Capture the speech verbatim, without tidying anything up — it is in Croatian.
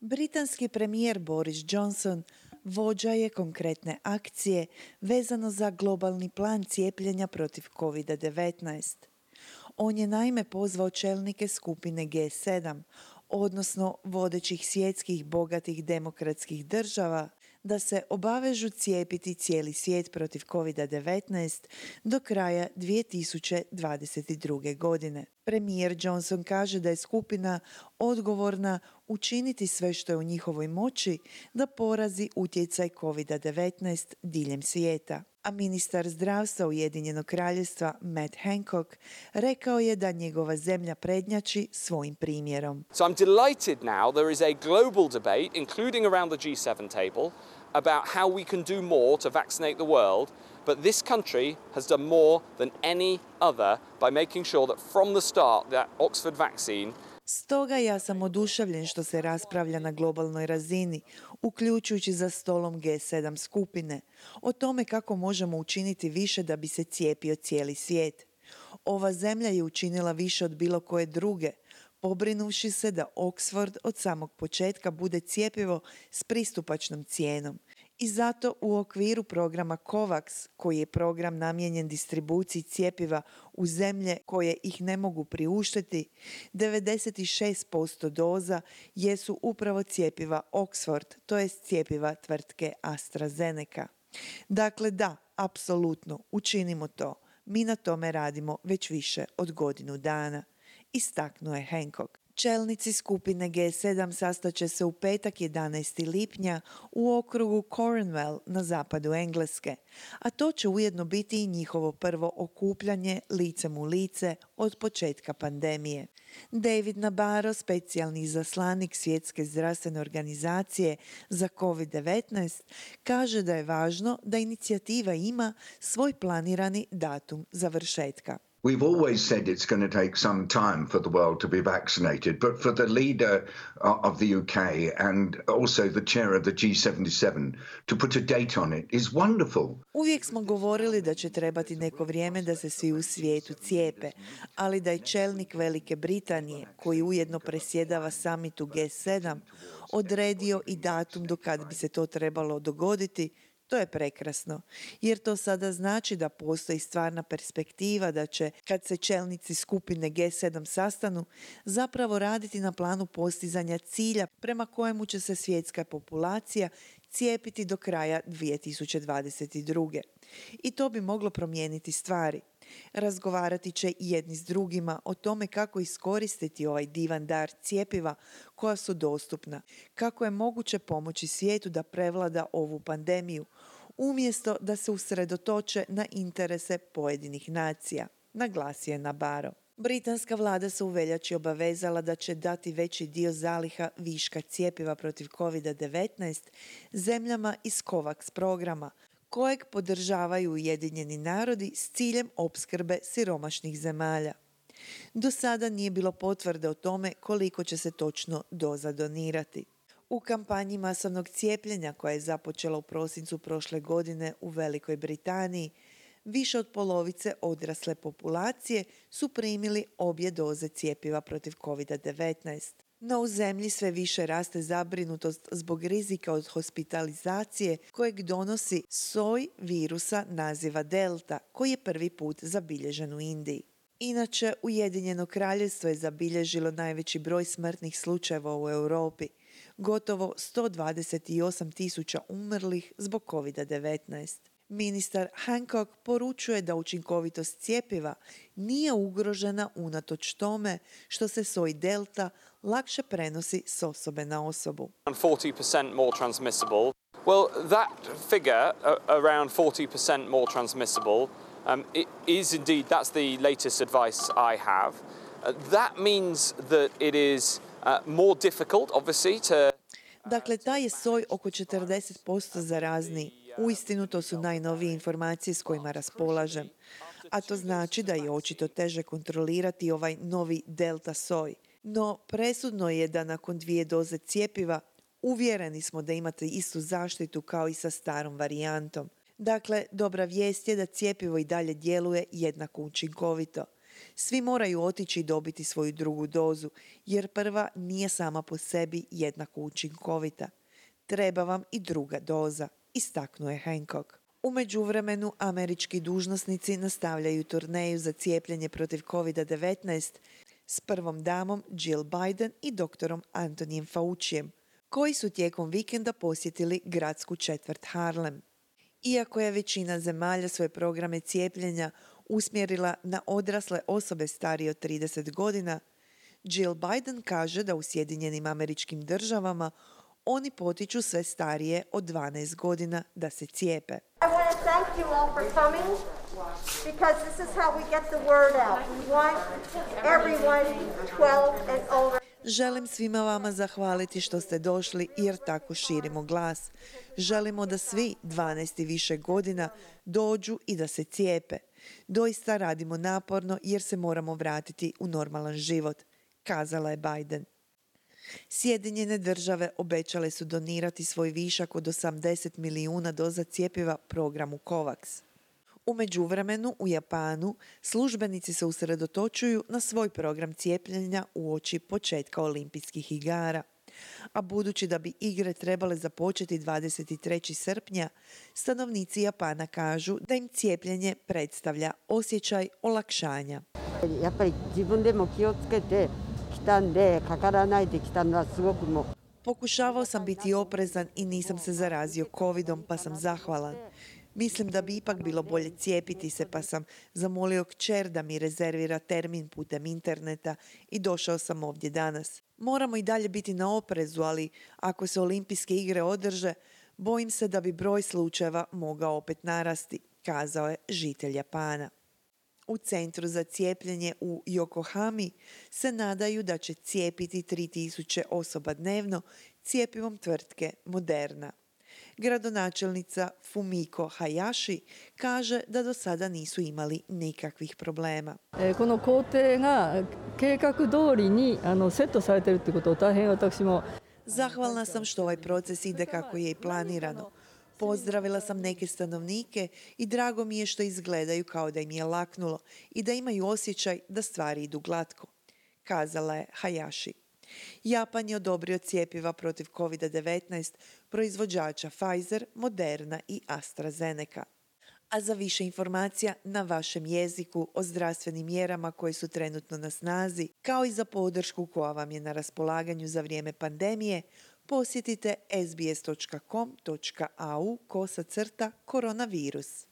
Britanski premijer Boris Johnson vođa je konkretne akcije vezano za globalni plan cijepljenja protiv kovid devetnaest. On je naime pozvao čelnike skupine G sedam, odnosno vodećih svjetskih bogatih demokratskih država, da se obavežu cijepiti cijeli svijet protiv kovid devetnaest do kraja dvije tisuće dvadeset druge. godine. Premijer Johnson kaže da je skupina odgovorna učiniti sve što je u njihovoj moći da porazi utjecaj kovid devetnaest diljem svijeta. A ministar zdravstva Ujedinjenog kraljevstva Matt Hancock rekao je da njegova zemlja prednjači svojim primjerom. So I'm delighted now there is a global debate, including around the G seven table, about how we can do more to vaccinate the world, but this country has done more than any other by making sure that from the start that Oxford vaccine. Stoga ja sam oduševljen što se raspravlja na globalnoj razini, uključujući za stolom G sedam skupine, o tome kako možemo učiniti više da bi se cijepio cijeli svijet. Ova zemlja je učinila više od bilo koje druge, pobrinuvši se da Oxford od samog početka bude cjepivo s pristupačnom cijenom. I zato u okviru programa COVAX, koji je program namijenjen distribuciji cjepiva u zemlje koje ih ne mogu priuštiti, devedeset šest posto doza jesu upravo cjepiva Oxford, to jest cjepiva tvrtke AstraZeneca. Dakle, da, apsolutno, učinimo to. Mi na tome radimo već više od godinu dana, istaknuo je Hancock. Čelnici skupine G sedam sastaće se u petak jedanaestog lipnja u okrugu Cornwall na zapadu Engleske, a to će ujedno biti i njihovo prvo okupljanje licem u lice od početka pandemije. David Nabarro, specijalni izaslanik Svjetske zdravstvene organizacije za kovid devetnaest, kaže da je važno da inicijativa ima svoj planirani datum završetka. We've always said it's going to take some time for the world to be vaccinated, but for the leader of the U K and also the chair of the G seventy-seven to put a date on it is wonderful. Uvijek smo govorili da će trebati neko vrijeme da se svi u svijetu cijepe, ali da je čelnik Velike Britanije, koji ujedno presjedava samitu G sedam, odredio i datum do kad bi se to trebalo dogoditi, to je prekrasno, jer to sada znači da postoji stvarna perspektiva da će, kad se čelnici skupine G sedam sastanu, zapravo raditi na planu postizanja cilja prema kojemu će se svjetska populacija cijepiti do kraja dvije tisuće dvadeset druge. I to bi moglo promijeniti stvari. Razgovarati će i jedni s drugima o tome kako iskoristiti ovaj divan dar cjepiva koja su dostupna, kako je moguće pomoći svijetu da prevlada ovu pandemiju, umjesto da se usredotoče na interese pojedinih nacija, naglasio je Nabarro. Britanska vlada se u veljači obavezala da će dati veći dio zaliha viška cjepiva protiv kovid devetnaest zemljama iz COVAX programa, kojeg podržavaju Ujedinjeni narodi s ciljem opskrbe siromašnih zemalja. Do sada nije bilo potvrde o tome koliko će se točno doza donirati. U kampanji masovnog cijepljenja koja je započela u prosincu prošle godine u Velikoj Britaniji, više od polovice odrasle populacije su primili obje doze cjepiva protiv kovid devetnaest. No u zemlji sve više raste zabrinutost zbog rizika od hospitalizacije kojeg donosi soj virusa naziva Delta, koji je prvi put zabilježen u Indiji. Inače, Ujedinjeno kraljevstvo je zabilježilo najveći broj smrtnih slučajeva u Europi, gotovo sto dvadeset osam tisuća umrlih zbog kovid devetnaest. Ministar Hancock poručuje da učinkovitost cjepiva nije ugrožena unatoč tome što se soj Delta lakše prenosi s osobe na osobu. forty percent more transmissible. Well, that figure, uh, around forty percent more transmissible, um, it is indeed, that's the latest advice I have. Uh, that means that it is uh, more difficult, obviously, to... Dakle, taj je soj oko četrdeset posto zarazniji. Uistinu to su najnovije informacije s kojima raspolažem. A to znači da je očito teže kontrolirati ovaj novi delta soj. No, presudno je da nakon dvije doze cjepiva uvjereni smo da imate istu zaštitu kao i sa starom varijantom. Dakle, dobra vijest je da cjepivo i dalje djeluje jednako učinkovito. Svi moraju otići i dobiti svoju drugu dozu, jer prva nije sama po sebi jednako učinkovita. Treba vam i druga doza, istaknuo je Hancock. U međuvremenu, američki dužnosnici nastavljaju turneju za cijepljenje protiv kovid devetnaest s prvom damom Jill Biden i doktorom Antonijem Faucijem, koji su tijekom vikenda posjetili gradsku četvrt Harlem. Iako je većina zemalja svoje programe cijepljenja usmjerila na odrasle osobe starije od trideset godina, Jill Biden kaže da u Sjedinjenim Američkim Državama oni potiču sve starije od dvanaest godina da se cijepe. I want to thank you all for coming because this is how we get the word out. We want everyone twelve and older. Želim svima vama zahvaliti što ste došli jer tako širimo glas. Želimo da svi dvanaest i više godina dođu i da se cijepe. Doista radimo naporno jer se moramo vratiti u normalan život, kazala je Biden. Sjedinjene države obećale su donirati svoj višak od osamdeset milijuna doza cjepiva programu COVAX. U međuvremenu u Japanu službenici se usredotočuju na svoj program cijepljenja uoči početka olimpijskih igara. A budući da bi igre trebale započeti dvadeset trećeg srpnja, stanovnici Japana kažu da im cijepljenje predstavlja osjećaj olakšanja. やっぱり自分でも気をつけてきたんで、かからないできたのはすごくもう Pokušavao sam biti oprezan i nisam se zarazio covidom, pa sam zahvalan. Mislim da bi ipak bilo bolje cijepiti se, pa sam zamolio kćer da mi rezervira termin putem interneta i došao sam ovdje danas. Moramo i dalje biti na oprezu, ali ako se olimpijske igre održe, bojim se da bi broj slučajeva mogao opet narasti, kazao je žitelj Japana. U Centru za cijepljenje u Yokohami se nadaju da će cijepiti tri tisuće osoba dnevno cjepivom tvrtke Moderna. Gradonačelnica Fumiko Hayashi kaže da do sada nisu imali nikakvih problema. この工程が計画通りにあのセットされているということを大変私も Zahvalna sam što ovaj proces ide kako je i planirano. Pozdravila sam neke stanovnike i drago mi je što izgledaju kao da im je laknulo i da imaju osjećaj da stvari idu glatko, kazala je Hayashi. Japan je odobrio cjepiva protiv kovid devetnaest proizvođača Pfizer, Moderna i AstraZeneca. A za više informacija na vašem jeziku o zdravstvenim mjerama koje su trenutno na snazi, kao i za podršku koja vam je na raspolaganju za vrijeme pandemije, posjetite sbs točka com točka au kosacrta koronavirus.